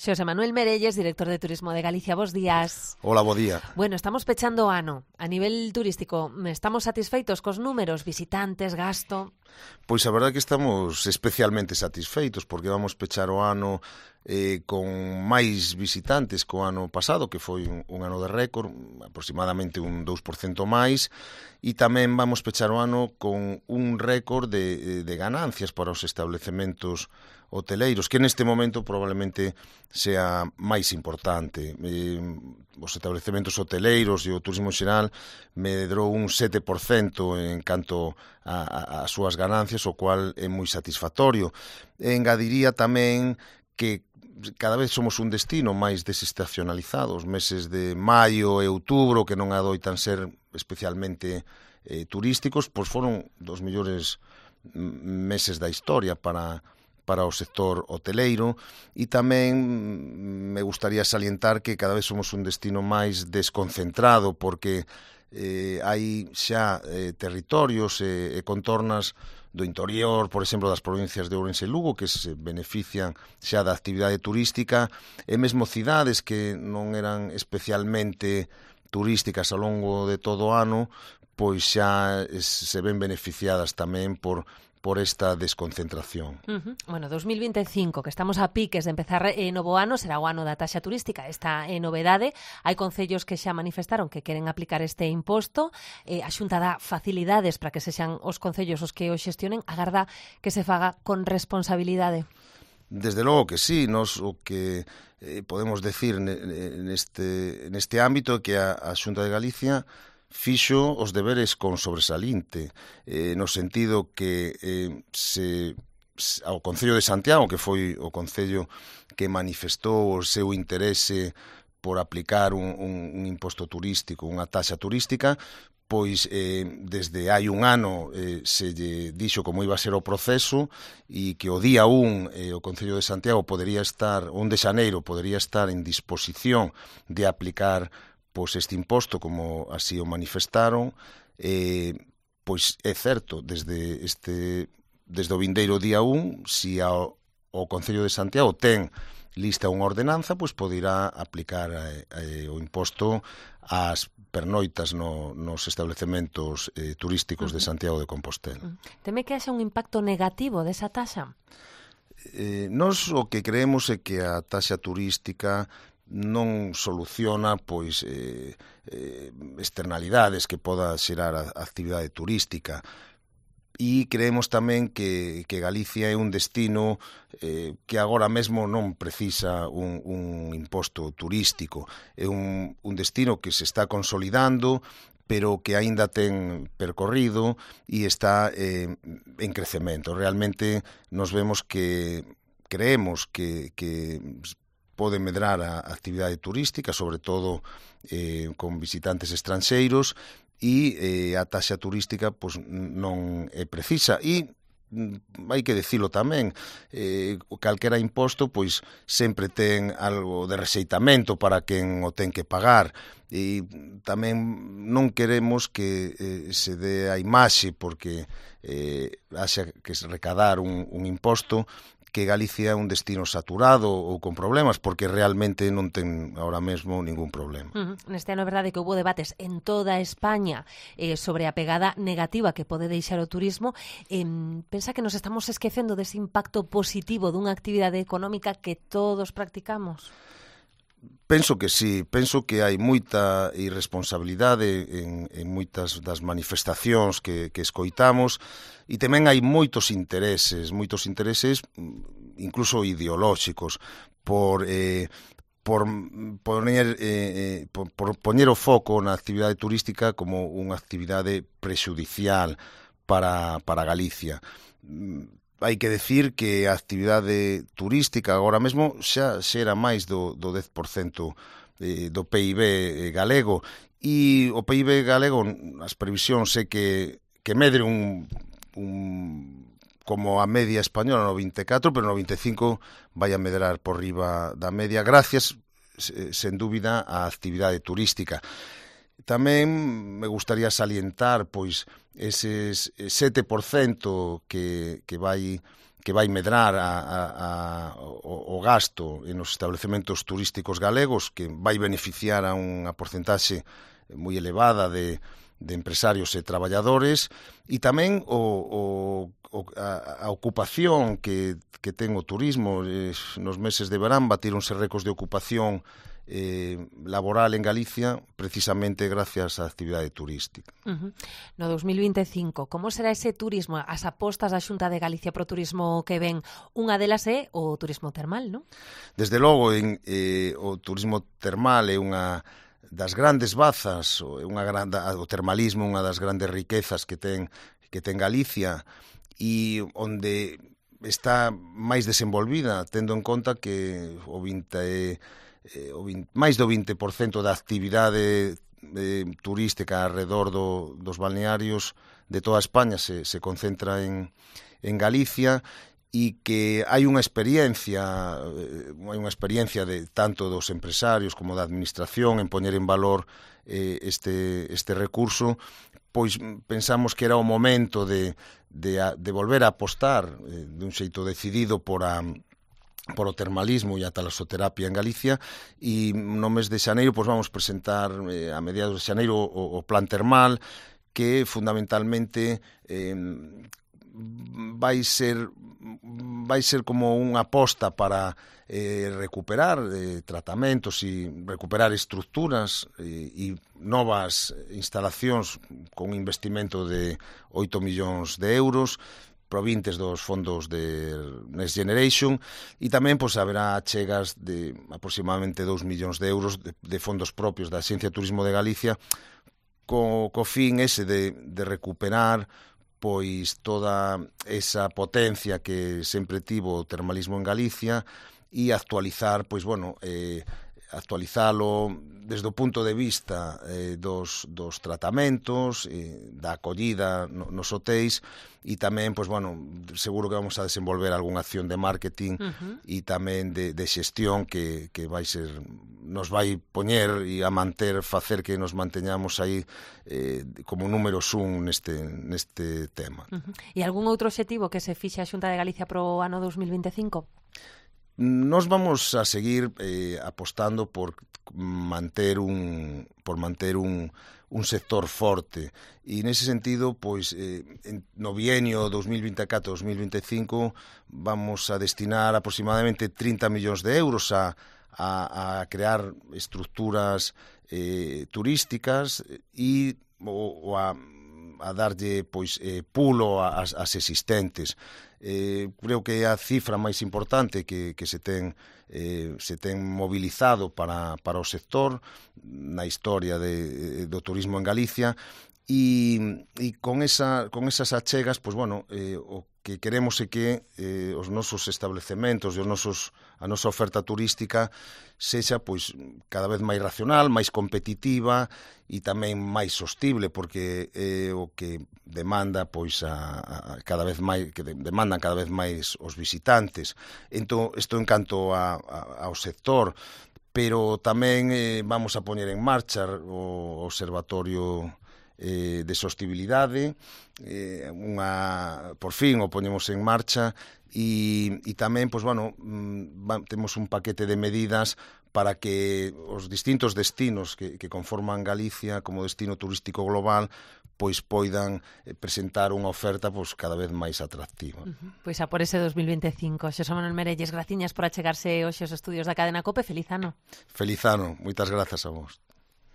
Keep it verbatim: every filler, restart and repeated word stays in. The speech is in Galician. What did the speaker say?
Xosé Manuel Merelles, director de Turismo de Galicia, bos días. Hola, bo día. Bueno, estamos pechando o ano. A nivel turístico, estamos satisfeitos cos números, visitantes, gasto? Pois a verdade que estamos especialmente satisfeitos porque vamos pechar o ano eh, con máis visitantes que o ano pasado, que foi un, un ano de récord, aproximadamente un dous por cento máis, e tamén vamos pechar o ano con un récord de, de ganancias para os establecementos hoteleiros, que neste momento probablemente sea máis importante. Eh, os establecementos hoteleiros e o turismo xeral medrou un sete por cento en canto a, a, a súas ganancias, o cual é moi satisfactorio. E engadiría tamén que cada vez somos un destino máis desestacionalizado. Os meses de maio e outubro, que non adoitan ser especialmente eh, turísticos, pois foron dos mellores meses da historia para para o sector hoteleiro, e tamén me gustaría salientar que cada vez somos un destino máis desconcentrado, porque eh, hai xa eh, territorios e, e contornas do interior, por exemplo, das provincias de Ourense e Lugo, que se benefician xa da actividade turística, e mesmo cidades que non eran especialmente turísticas ao longo de todo o ano, pois xa se ven beneficiadas tamén por por esta desconcentración. Uh-huh. Bueno, dos mil vinte e cinco, que estamos a piques de empezar eh, novo ano, será o ano da taxa turística. Esta é eh, novedade. Hai concellos que xa manifestaron que queren aplicar este imposto. Eh, a Xunta dá facilidades para que sexan os concellos os que o xestionen. Agarda que se faga con responsabilidade. Desde logo que sí. Nos o que eh, podemos decir neste, neste ámbito é que a, a Xunta de Galicia fixo os deberes con sobresalinte, eh, no sentido que eh, se, ao Concello de Santiago, que foi o Concello que manifestou o seu interese por aplicar un, un, un imposto turístico, unha taxa turística, pois eh, desde hai un ano eh, se lle dixo como iba a ser o proceso, e que o día un eh, o Concello de Santiago podería estar, un de xaneiro, podería estar en disposición de aplicar pois este imposto, como así o manifestaron. Eh, pois é certo, desde este desde o vindeiro día un, si ao, o Concello de Santiago ten lista unha ordenanza, pois poderá aplicar eh, eh, o imposto ás pernoitas no, nos establecementos eh, turísticos uh-huh. de Santiago de Compostela. Uh-huh. Teme que haxa un impacto negativo desa taxa? Eh, nos o que creemos é que a taxa turística non soluciona pois eh, eh, externalidades que poda xerar a, a actividade turística, e creemos tamén que, que Galicia é un destino eh, que agora mesmo non precisa un, un imposto turístico. É un, un destino que se está consolidando, pero que aínda ten percorrido e está eh, en crecemento. Realmente nos vemos que creemos que, que pode medrar a actividade turística, sobre todo eh, con visitantes estranxeiros, e eh, a taxa turística pois, non é precisa. E hai que dicilo tamén, eh, calquera imposto pois sempre ten algo de rexeitamento para quen o ten que pagar, e tamén non queremos que eh, se dé a imaxe porque eh, haxa que se recadar un, un imposto, que Galicia é un destino saturado ou con problemas, porque realmente non ten ahora mesmo ningún problema. Uh-huh. Neste ano é verdade que houve debates en toda España eh, sobre a pegada negativa que pode deixar o turismo. Eh, pensa que nos estamos esquecendo dese impacto positivo dunha actividade económica que todos practicamos? Penso que sí, penso que hai moita irresponsabilidade en, en moitas das manifestacións que, que escoitamos, e tamén hai moitos intereses, moitos intereses incluso ideolóxicos, por, eh, por, poner, eh, por, por poñer o foco na actividade turística como unha actividade prexudicial para, para Galicia. Hai que decir que a actividade turística agora mesmo xa xera máis do, do dez por cento do P I B galego, e o P I B galego, as previsións é que, que medre un, un como a media española no vinte e catro, pero no vinte e cinco vai a medrar por riba da media, gracias, sen dúbida, á actividade turística. Tamén me gustaría salientar pois eses sete por cento que, que vai que vai medrar a, a, a, o, o gasto nos establecementos turísticos galegos, que vai beneficiar a unha porcentaxe moi elevada de, de empresarios e traballadores, e tamén o, o, a, a ocupación que, que ten o turismo. Eh, nos meses de verán batíronse récords de ocupación eh, laboral en Galicia precisamente gracias á actividade turística. Uh-huh. No dos mil vinte e cinco, como será ese turismo, as apostas da Xunta de Galicia pro turismo que ven? Unha delas é o turismo termal, non? Desde logo, en, eh, o turismo termal é unha das grandes bazas, unha grande, o termalismo, unha das grandes riquezas que ten, que ten Galicia, e onde está máis desenvolvida, tendo en conta que o vinte, eh, o vinte, máis do vinte por cento da actividade eh, turística alrededor do, dos balnearios de toda España se, se concentra en, en Galicia, e que hai unha experiencia, hai unha experiencia de tanto dos empresarios como da administración en poñer en valor eh, este, este recurso, pois pensamos que era o momento de, de, de volver a apostar eh, de un xeito decidido por a por o termalismo e a talasoterapia en Galicia, e no mes de xaneiro pois vamos presentar eh, a mediados de xaneiro o, o plan termal, que fundamentalmente eh, vai ser vai ser como unha aposta para eh, recuperar eh, tratamentos e recuperar estructuras e, e novas instalacións con un investimento de oito millóns de euros provintes dos fondos de Next Generation, e tamén pois haberá chegas de aproximadamente dous millóns de euros de, de fondos propios da Axencia de Turismo de Galicia co, co fin ese de, de recuperar pois toda esa potencia que sempre tivo o termalismo en Galicia e actualizar, pois bueno, eh, actualizalo desde o punto de vista eh, dos, dos tratamentos, eh, da acollida no, nos hotéis, e tamén, pois bueno, seguro que vamos a desenvolver algunha acción de marketing uh-huh. e tamén de, de xestión que, que vai ser, nos vai poñer e a manter, facer que nos manteñamos aí eh, como números un neste, neste tema. Uh-huh. E algún outro obxectivo que se fixe a Xunta de Galicia pro ano dos mil vinte e cinco? Nos vamos a seguir eh, apostando por manter un por manter un, un sector forte, e nese sentido, pois eh, en, no bienio dos mil vinte e catro a dos mil vinte e cinco vamos a destinar aproximadamente trinta millóns de euros a, a, a crear estructuras eh, turísticas e o, o a, a darlle pois eh, pulo ás, ás existentes. Eh, creo que é a cifra máis importante que, que se ten eh, se ten mobilizado para, para o sector na historia de, do turismo en Galicia, e, e con, esa, con esas achegas, pois bueno, eh, o que queremos é que eh, os nosos establecementos e os nosos, a nosa oferta turística sexa pois cada vez máis racional, máis competitiva e tamén máis sostible, porque é eh, o que demanda pois a, a cada vez máis, que demandan cada vez máis os visitantes. Entón, isto en canto a, a, ao sector, pero tamén eh, vamos a poñer en marcha o observatorio eh, de sostibilidade, eh, unha, por fin o poñemos en marcha, e, e tamén, pois, bueno, mm, temos un paquete de medidas para que os distintos destinos que, que conforman Galicia como destino turístico global pois poidan presentar unha oferta pois cada vez máis atractiva. Uh-huh. Pois a por ese dos mil vinte e cinco. Xosé Manuel Merelles, graciñas por achegarse hoxe aos estudios da Cadena COPE. Feliz ano. Feliz ano. Moitas grazas a vos.